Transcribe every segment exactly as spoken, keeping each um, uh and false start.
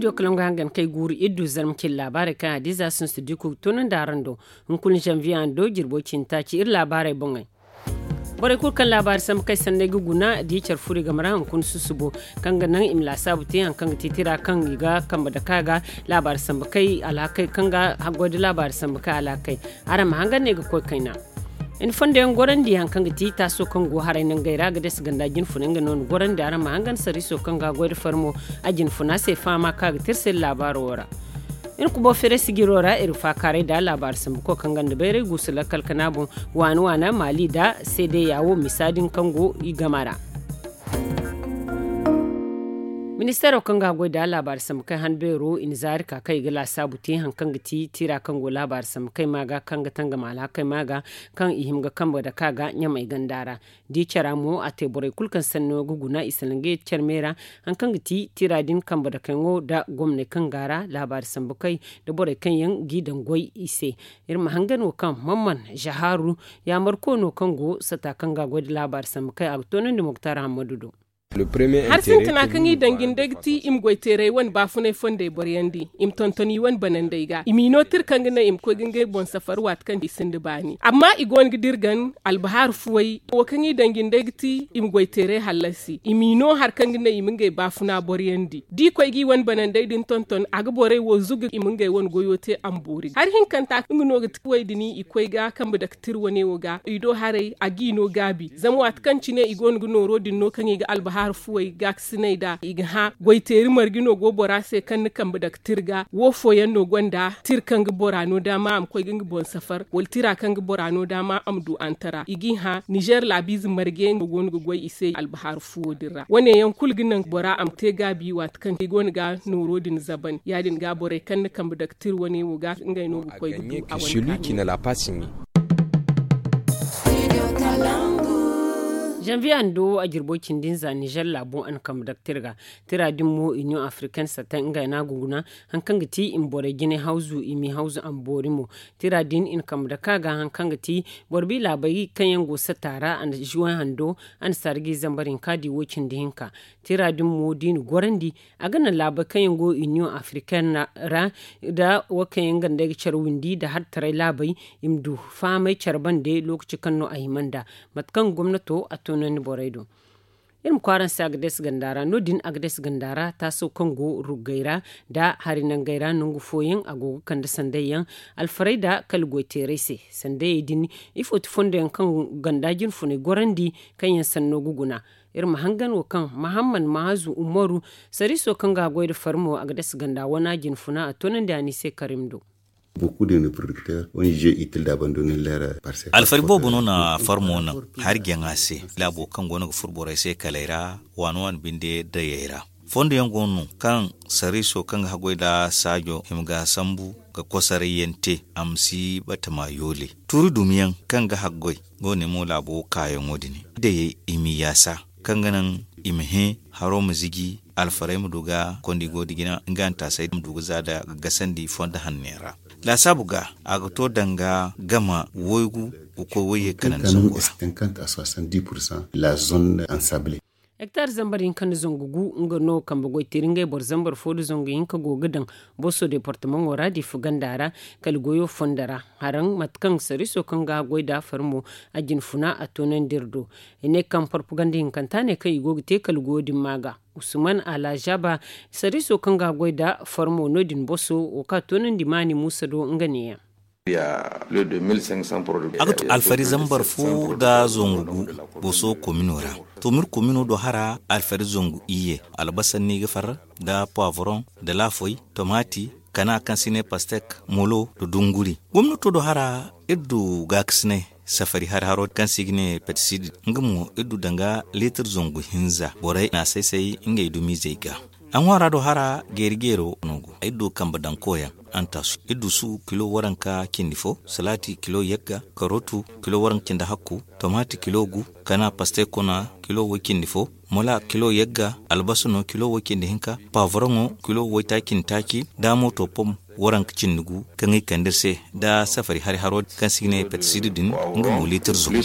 Studio kalaŋ ga hangan kay guuru iri du zarma cindi laabaarey kaŋ hadiza sinsu di kulu ga toonandi araŋ do. Hunkuna zanviye hando jirbo cindi taaci iri laabaarey boŋey. Borey kulu kaŋ laabaari sambu kay sanney ga guna da i care furo i game ra hunkuna susubo kaŋ ga naŋ i ma laasaabu te hari kaŋ ga ti tira kaŋ i ga kambe dake a ga laabaari sambu kay alhakey kaŋ ga haggoy da laabaari sambu kay alhakey. Araŋ ma hangan ne ga koy kayna. I na fondo yaŋ gorandi hari kaŋ ga ti taaso kaŋ go haray nangey ra ga dase ganda jinfuna nga no ni gorandi araŋ ma hangan sarriiso kaŋ ga goy da farmo a jinfuna se fahama kaŋ a ga te iri se laabaaro wo ra. Iri kubo feere sijiro ra iri faakaaray da laabaari sambuko kaŋ ganda bayray guusu lakkal kana boŋ waana waana maali da seedeya wo misa din kaŋ go i gama ra. Ministeero kaŋ ga goy da laabaari sambu kay han beero i na zaari ka kaŋ i ga laasaabu te hari kaŋ ga ti tira kaŋ go laabaari sambu kay ma ga kaŋ ga tangam alhakey ma ga kaŋ i hima ga kambe dake a ga ɲamey ganda ra. Da i cara mo a te borey kulu kaŋ sanno ga guna i salaŋ ga ye care me ra hari kaŋ ga ti tira din kambe dakeyaŋo nda gomney kaŋ ga a ra laabaari sambu kay nda borey kaŋ yaŋ g'i daŋ goy i se. Iri ma hangan wo kaŋ mamman zahaaru yaamarko no kaŋ go sata kaŋ ga a goy nda laabaari sambu kay a ga toonandi muktar hammadu do. Hari sintina kaŋ i daŋ jinde ga ti i ma goy teeray wane baafunay fondey boryandi i ma tonton i wane banandey ga i m'i no tira kaŋ ga naŋ i ma koy ga ngey boŋ safar waati kaŋ i sinda baani amma i go no ga dirgan albahaaru fuwey wo kaŋ i daŋ jinde ga ti i ma goy teeray hallasi i m'i no hari kaŋ ga naŋ i ma ngey baafuna boryandi da i koy ga i wane banandey din tonton a ga borey wo zugu i ma ngey wane goyo te a ma boori hari hinkanta nga no ga ti fuwey din i koy ga kambe dake tira wane wo ga i do haray a g'i no gaabi zama waati kaŋ cine i go no ga nooro din no kaŋ i ga albahaaru fuwey gaakasiney nd'a i ga hã goy teeri marje no go bora se kaŋ ni kambe dake tira ga wo fooyaŋ no gonda tira kaŋ ga bora no daama a ma koy ga nga boŋ safar wala tira kaŋ ga bora no daama a ma du antara i g'i hã nizer laabiize marje no go no ga goy i se albahaaru fuwo din ra wane yaŋ kulu ga naŋ bora a ma te gaabi waati kaŋ i go no ga nooro din zaban ya- din ga borey kaŋ ni kambe dake tira wane wo ga ngey no ga koy ga du a wane kaani. Zanviye hando a jirbo cindi nza nizer laabo a na kambe dake tira ga tira din mo union africaine satta ngey no a ga guna hari kaŋ ga ti i ma borey jinay hawzu i m'i hawzu a ma boori mo tira din i na kambe dake a ga hari kaŋ ga ti boro bi laabey kaŋ yaŋ go satta ra a na juwen hando a na sarji zambar hinka di wo cindi hinka tira din mo da i na gorandi a ga naŋ laabey kaŋ yaŋ go union africaine ra nda wo kaŋ yaŋ ganda ay ga care windi nda hartaray laabey i ma du fahamay care bande lookaci kaŋ no a hima nd'a mate kaŋ gomnato a toonandi borey do. Iri ma kwaara nse agades ganda ra no- din agades ganda ra taaso kaŋ go ruggey ra nda hari nangey ra nangu fooyaŋ a go ga kande sanday yaŋ alfarey nda kala goyteeray se sandayey din ifo ti fondo yaŋ kaŋ ganda jinfunay gorandi kaŋ yaŋ sanno ga guna. Iri ma hangan wo kaŋ mahammad mahazu umaru sariiso kaŋ ga goy nda farmo agades ganda wana jinfuna a toonandi a ni se karim do. Alfari boobo no na farmo naŋ hari jaŋa se laabo kaŋ go no ga furo borey se kaley ra waani waani binde dayey ra. Fondo yaŋ go no kaŋ sariiso kaŋ ga haggoy nda saajo hima ga sambu ga kosaray yaŋ te a ma si batama yoole tuuri dumi yaŋ kaŋ ga haggoy go ne mo laabo kaayaŋo din. Dayey i ma i yaasa kaŋ ga naŋ i ma hẽ haro ma ziji alfarey ma du ga kondi go da jina nga hantaasey ma du ga za da ga gasandi fondo hanne ra. Laasaabu ga a ga to danga gama woygu ga koy wayye kanandi zango ra. Hektar zambar hinka nda zangu gu nga no kambe goy teeri ngey boro zambar fo nda zangu hinka go ga daŋ boso departamaŋo ra diifa ganda ra kala goyo fondo ra. Haraŋ mate kaŋ sariiso kaŋ ga goy nda farmo a jinfuna a toonandi iri do. I ne kaŋ parpaganda hinkanta ne kaŋ i go ga te kala goyo din ma ga usman alhajaba sariiso kaŋ ga goy nda farmo no- din boso wo kaŋ a toonandi maani muusa do nga neeyaŋ. A ga to alfari zambar fo nda zangu gu boso komino ra. To ma iri komino do hara alfari zangu iyye albasa no i ga far nda poivron nda laafoy tomaati kana kaŋ se i ne pastek molo nda dunguri. Gomnato do hara iri du gaakasinay safari hari haro kaŋ se i ga ne pestisid nga mo iri du danga liitir zangu hinza borey na a say-say ngey dumiizey ga. A ŋwaara do hara geeri-geero no go ay du kambe daŋ koyaŋ. Antasu iri du su kilo waranka cindi fo salaati kilo yagga karotu kilo waranka cindi hakku tomaati kilo gu kana pastay kuna kilo way cindi fo mola kilo yagga albasa no kilo way cindi hinka pavoroŋo kilo waytaaci nda taaci da mooto pom waranka cindi gu kaŋ i kande iri se nda safari hari haro kaŋ se i ga ne pestisid din nga mo liitir zumbu.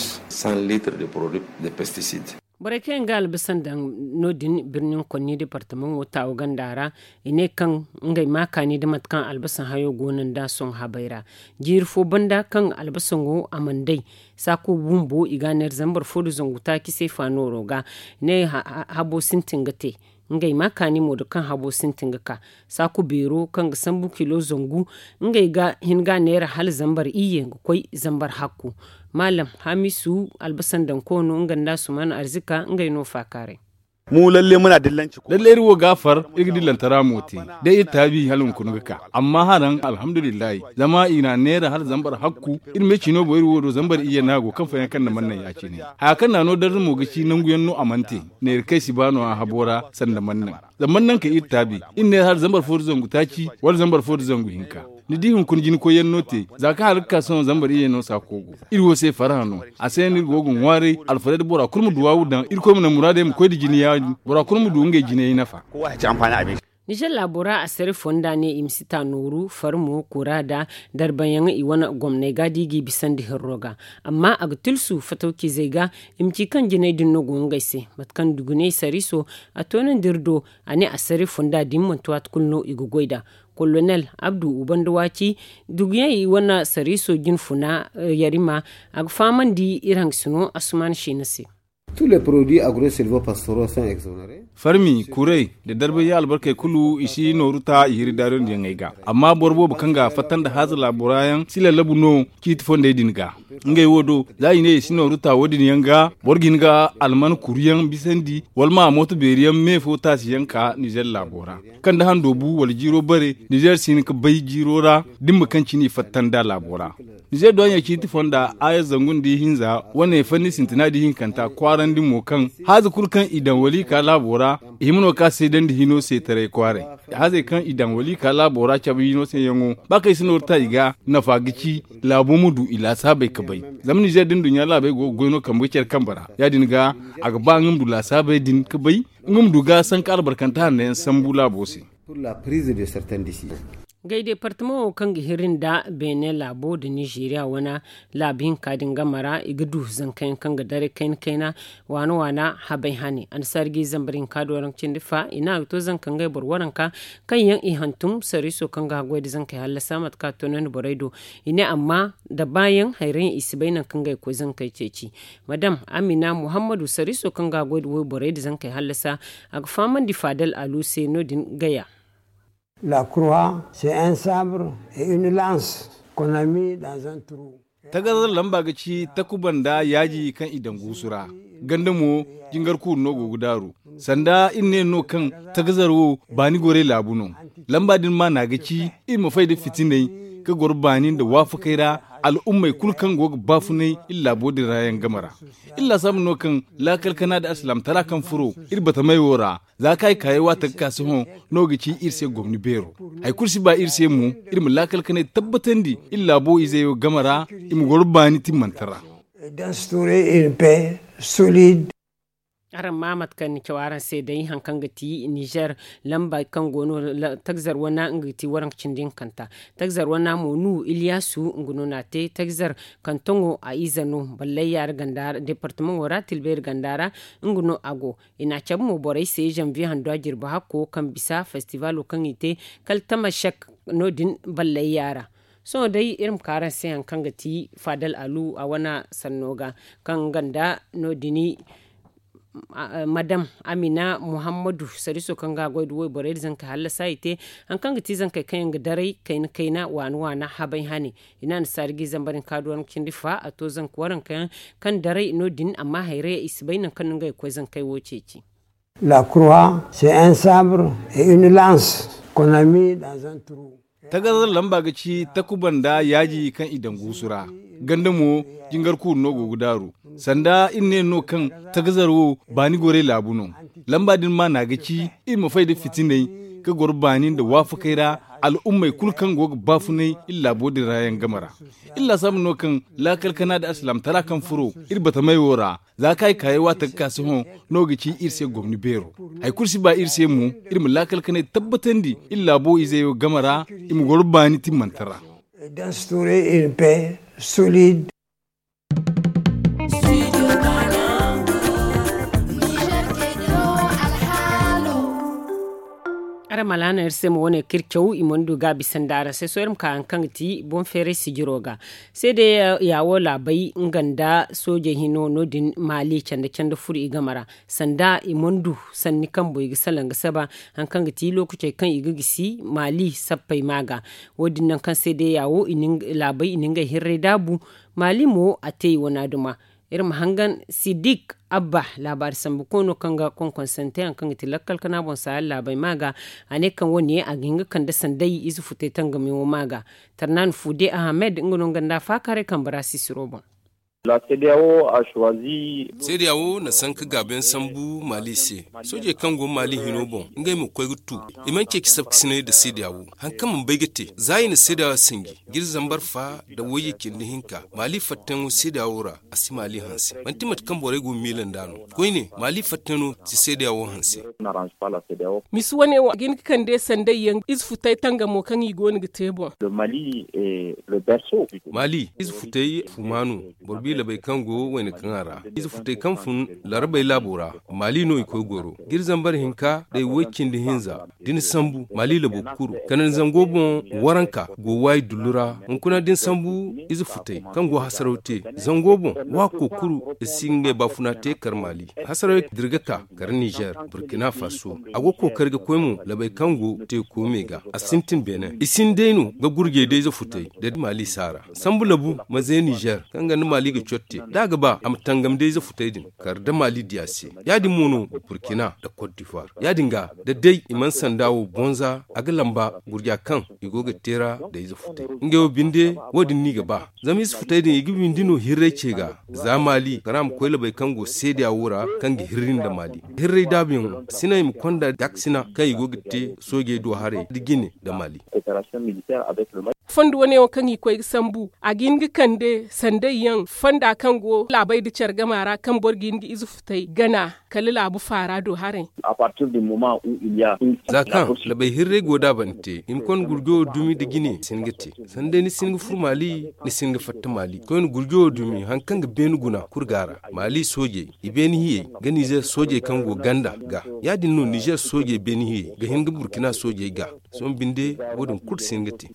Borey kaŋ yaŋ ga albasan daŋ no- din birnin konni departamaŋo taawa ganda ra, i ne kaŋ ngey ma kaani nda mate kaŋ albasan hayo go no nd'a sohõ habay ra. Jiiri fo banda kaŋ albasaŋo a mana day, saaku bumbo i ga a neera zambar fo nda zangu taaci se fa nooro ga. I ne habo sintin ga te. Ngey ma kaani mo nda kaŋ habo sintin ga ka. Saaku beero kaŋ ga sambu kilo zangu, ngey ga hin ga a neera hala zambar iyye ga koy zambar hakku. Maalam hamisu, albasan daŋ koono nga nda suman arzika ngey no faakaaray. Mu lalle muna dillanci. Lalle iri wo ga a far, iri ga dillantara mo te. Day iri taabi hala hunkuna ga ka. Amma haraŋ alhamdulillahi, zama i na a neera hala zambar hakku. Iri me cino boŋ iri wo do zambar iyye no a go kaŋ fayaŋ kaŋ na mannaŋ ya- cine. Haya kaŋ na a no darza mo ga ci nangu yaŋ no a mana te. Neera kaŋ ay si ba no a habo ra sanda mannaŋ. Zama mannaŋ ka iri taabi, iri neera hala zambar fo nda zangu taaci wala zambar fo nda zangu hinka. Ni di hunkuna jina koy yaŋ no te, za kaŋ hala ga ka sohõ zambar iyye no saako go. Iri wo se farhã no. A se no iri go ga ŋwaaray alfarey da bora kulu ma duwaawu daŋ, irkoy ma naŋ muraadey ma koy nda jina ya- din, bora kulu ma du ngey jinayey nafa. Nizer laabo ra asare fonda ne i ma si ta nooru farmo kura nda darbayaŋ i wane gomney ga da i g'i bisandi hirro ga. Amma a ga tilsu fatawcizey ga, i ma ci kaŋ jinay din no go ngey se. Mate kaŋ duguney sariiso a toonandi iri do, a ne asare fonda din manti waati kulu no i ga goy nd'a. Kolonel abdu ubanda waaci, duguyaŋ i wane sariiso jinfuna yarima, a ga fahamandi iri hangasino asuman siina se. Farmi kuray nda darbayaŋ albarkey kulu i si nooru ta i hiri daariyondiyaŋey ga. Amma boro boobo kaŋ ga fatta nda haaza laabo ra yaŋ si lallabu no ciiti fondey din ga. Ngey wo do, za i ne i si nooru ta wo- din yaŋ ga, boro ga hin ga alman kuruyaŋ bisandi wala ma mooto beeri yaŋ me fo taasi yaŋ ka nizer laabo ra, kaŋ da hando bu wala jiiro bare, nizer si hin ga bay jiiro ra dimma kaŋ cine i fatta nda laabo ra. Nizer duwaaɲey ciiti fonda aya zangu nda ihinza wane fanni sintina nda ihinkanta kwaarandi mo kaŋ haaza kulu kaŋ i daŋ wala i ka laabo ra, i hima no ga ka seedandi hino se taray kwaaray. Haazey kaŋ i daŋ wala i ka laabo ra cabe hino se yaŋo, ba kaŋ i si nooru ta i ga, nafa ga ci laabo ma du i laasaabey ga bay. Zama nizer da nduɲɲa laabey go ga goy no kambe ga care kambe ra, ya- din ga a ga ba nga ma du laasaabey din ga bay, nga ma du ga sanka albarkante hanno yaŋ sambu laabo se. Gay departamaŋo kaŋ ga hiri nda beene laabo nda nizeeriya wane laabu hinka din game ra, i ga du zanka yaŋ kaŋ ga daray kayna kayna, waana waana habay hane. Annasaari ga i zambar hinka do waranka cindi fa i ne a ga to zanka ngey boro waranka kaŋ yaŋ i hantum sariiso kaŋ ga haggoy nda zankey hallasa mate kaŋ a toonandi borey do. I ne amma da baayaŋ hayrayaŋ i si bay nangu kaŋ ga i koy zankey ceeci. Madam amina muhammadu sariiso kaŋ ga haggoy nda wayborey nda zankey hallasa, a ga fahamandi faadal alu se no- din gaya. La croix, c'est un sabre et une lance qu'on a mis dans un trou. Tagazar lamba ga ci takuba nda yaaji kaŋ i daŋ guusu ra. Ganda mo jingar kuuru no go ga daaru. Sanda iri ne no kaŋ tagazar wo baani goray laabu no. Lamba din maana ga ci iri ma fay nda fitinay ga goro baani nda waafakay ra, al'ummey kulu kaŋ go ga baafunay iri laabo din ra yaŋ game ra. Iri laasaabu no kaŋ laakal kana nda alsilaamtara kaŋ furo iri batamey wo ra. Za kaŋ ay kaayey waate ga ka sohõ no ga ci iri se gomni beero. Hari kulu si ba iri se mo, iri ma laakal kanay tabbatandi iri laabo izey wo game ra, i ma goro baani timmante ra. D'instaurer une paix solide. Araŋ ma mate kaŋ ni caw araŋ se day hari kaŋ ga ti nizer lamba kaŋ go no. Tagzar wana nga ga ti waranka cindi hinkanta. Tagzar wana mo nuhu iliyasu nga no n'a te tagzar kantoŋo a ize no ballay yaara ganda ra departamaŋo ra tilbayri ganda ra. Nga no a go. I n'a cabe mo borey se zanviye handu a jirbi hakko kaŋ bisa festivalo kaŋ i te kala tamashek no- din ballayya ra. Sohõ day iri ma ka araŋ se hari kaŋ ga ti faadal alu a wane sanno ga kaŋ ganda no- din. Madam amina muhammadu sariiso kaŋ ga a goy nda wayborey nda zankey hallasa i te hari kaŋ ga ti zankey kaŋ yaŋ ga daray kayna kayna waana waana habay hane. I ne annasaari ga i zambar hinka do waranka cindi fa a to zanka waranka yaŋ kaŋ daray no- din amma hayray i si bay nangu kaŋ no ngey ga koy zankey wo ceeci. La croix, c'est un sabre et une lance qu'on a mis dans un trou. Tagazar lamba ga ci takuba nda yaaji kaŋ i daŋ guusu ra. Ganda mo jingar kuuru no go ga daaru. Sanda iri ne no kaŋ tagazar wo baani goray laabu no. Lamba din maana ga ci iri ma fay nda fitinay ga goro baani nda waafakay ra, al'ummey kulu kaŋ go ga baafunay iri laabo din ra yaŋ game ra. Iri laasaabu no kaŋ laakal kana nda alsilaamtara kaŋ furo iri batamey wo ra. Za kaŋ ay kaayey waate ga ka sohõ no ga ci iri se gomni beero. Hari kulu si ba iri se mo, iri ma laakal kanay tabbatandi iri laabo izey wo game ra, i ma goro baani timmante ra. D'instaurer une paix solide. Iri ma laana iri se ma wane kaŋ iri caw i mana du gaabi sanda araŋ se sohõ iri ma ka hari kaŋ ga ti boŋ feeray sijiro ga. Seede ya wo laabay nga nda soojey hino no- din maali canda canda furo i game ra, sanda i mana du sanni kaŋ boŋ i ga salaŋ ga saba hari kaŋ ga ti lookacey kaŋ i ga gisi maali sappey ma ga. Wo- din naŋ kaŋ seede ya wo laabay i na ngey hirray daabu. Maali mo a te i wana duma. Iri ma hangan sidik abba laabaari sambu koono kaŋ ga konkonsante hari kaŋ ga ti lakkal kana boŋ saaya laabay ma ga. A ne kaŋ wo- ne a ga hin ga kande sanday ize futay tangamiyaŋo ma ga. Tarnaani fuude ahamed nga no nga nda a faakaaray kambe ra sisiro boŋ. Seede ya wo na sanka gaabuyaŋ sambu maali se. Soojey kaŋ go maali hino boŋ ngey ma koy ga tu. I mana ceeci sabkasinay nda seede ya wo hari kaŋ mana bay ga te za i na seede ya wo sinji. Ga iri zambar fa nda wayye cindi hinka maali fattayaŋo seede ya wo ra. A si maali hanse manti mate kaŋ borey go ga miila nd'a no. Koyne maali fattayaŋo si seede ya wo hanse. Misi wane wo a ga hin ga kande sanday yaŋ ize futay tangamo kaŋ i go no ga te boŋ. Maali ize futay fuma no. Boro biila bay kaŋ go wayna kaŋ a ra ize futay kaŋ fun larabey laabo ra. Maali no i koy goro ga iri zambar hinka day way cindi hinza. Da ni sambu maali labo kuru kanandi zango boŋ waranka go waayi dullu ra. Hunkuna da ni sambu ize futay kaŋ go hasaraw te zango boŋ waako kuru i si ngey baafuna te kar maali. Hasaraw dirga ka kar nizer burkina faso. A go kookari ga koy mo labey kaŋ go teeko me ga a sintin beene i sinday no ga gurjey da ize futay da maali saara. Sambu labu ma ze nizer kaŋ ga nda maali ga cotte da a ga ba a ma tangam da ize futay din kar da maali diya se. Ya- din mo no burkina nda kot divoire ya- din ga da day i mana sanda wo bonza a ga lamba gurja kaŋ i go ga teera da ize futay. Ngey wo binde wo- din no i ga ba zama ize futay din i ga windi no hirray ce ga. Za maali kara ma koy labey kaŋ go seedeya wo ra kaŋ ga hirri nda maali hirray daabuyaŋo sina i ma konda daksina kaŋ i go ga te soojey do haray nda jine nda maali. Fondo wane wo kaŋ i koy ga sambu a ga hin ga kande sanday yaŋ fonda kaŋ go laabey nda care gama ra kaŋ boro ga hin ga ize futay gana kala laabu faara do haray. Za kaŋ labey hirray go da a bante i ma konda gurjo wo dumi nda jine si hin ga te. Sanda day ni si hin ga fur maali ni si hin ga fatta maali koyne gurjo wo dumi hari kaŋ ga beene guna kulu ga a ra. Maali soojey i beene hiyey ga nizer soojey kaŋ go ganda ga. Ya- din no nizer soojey beene hiyey ga hin ga burkina soojey ga. Sohõ binde wo- din kulu si hin ga te.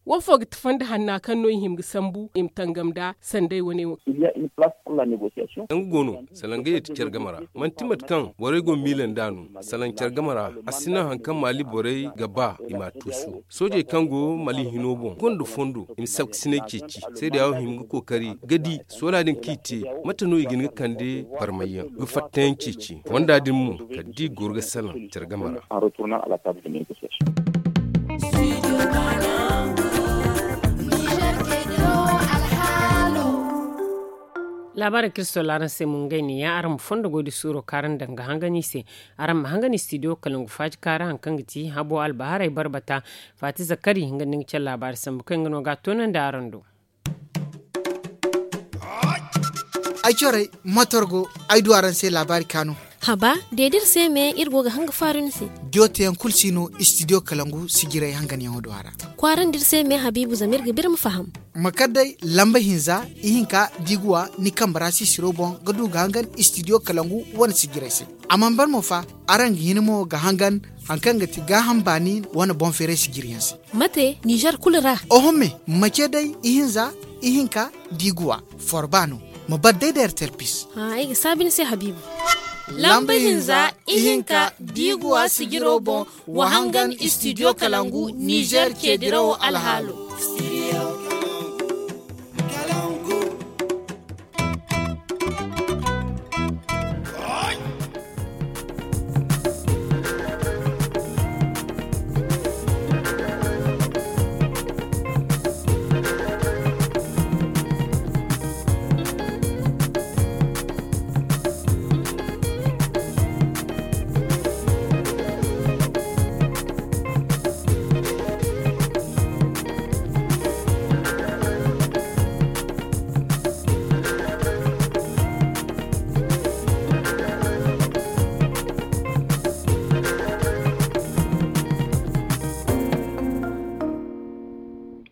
Wo fo ga ti fondo hanna kaŋ no i hima ga sambu i ma tangam nda sanday wane wo? Nga go no salaŋ ga yeeti care game ra. Manti mate kaŋ borey go miila nd'a no. Salaŋ care game ra a si naŋ hari kaŋ maali borey ga ba i m'a tuusu. Soojey kaŋ go maali hino boŋ gonda fondo i ma sabkasinay ceeci. Seedeya wo hima ga kookari ga di soola din kaŋ i te mate no i ga hin ga kande barmayyaŋ ga fattayaŋ ceeci fonda din mo kala da i goro ga salaŋ care game ra. Laabaarey kaŋ iri soola araŋ se mo ngey ne ya araŋ ma fondo goy da suuro kaŋ araŋ daŋ ga hangan i se. Araŋ ma hangan istidiyo kalangu faaji kaŋ ra hari kaŋ ga ti habo albaharay barbata. Faati zakari nga nda ni ga care laabaari sambu kaŋ nga no ga a toonandi araŋ do. Ay corey motor go ay du araŋ se laabaari kaanu. Haba de da iri se me iri go ga hanga faaru ni se. Jooteyaŋ kulu si no istidiyo kalangu sijirey hanganyaŋo do a ra. Kwaarandi iri se me habiibu zama iri ga ba iri ma faham. Ma kar day lamba hinza ihinka da i ga wa ni kambe ra sisiro boŋ ga du ga hangan istidiyo kalangu wane sijirey se. A mana ban mo fa araŋ ga hin mo ga hangan hari kaŋ ga ti gaaham baani wane boŋ feeray sijiriyaŋ se. Mate nizer kulu ra? Oho me mace day ihinza ihinka da i ga wa forba no. Ma bar day da ertel pis. Ay ga saabi ni se habiibu. Lamba hinza ihinka da i ga wa sijiro boŋ wa hangan istidiyo kalangu nizer ceedirawo alhaalo.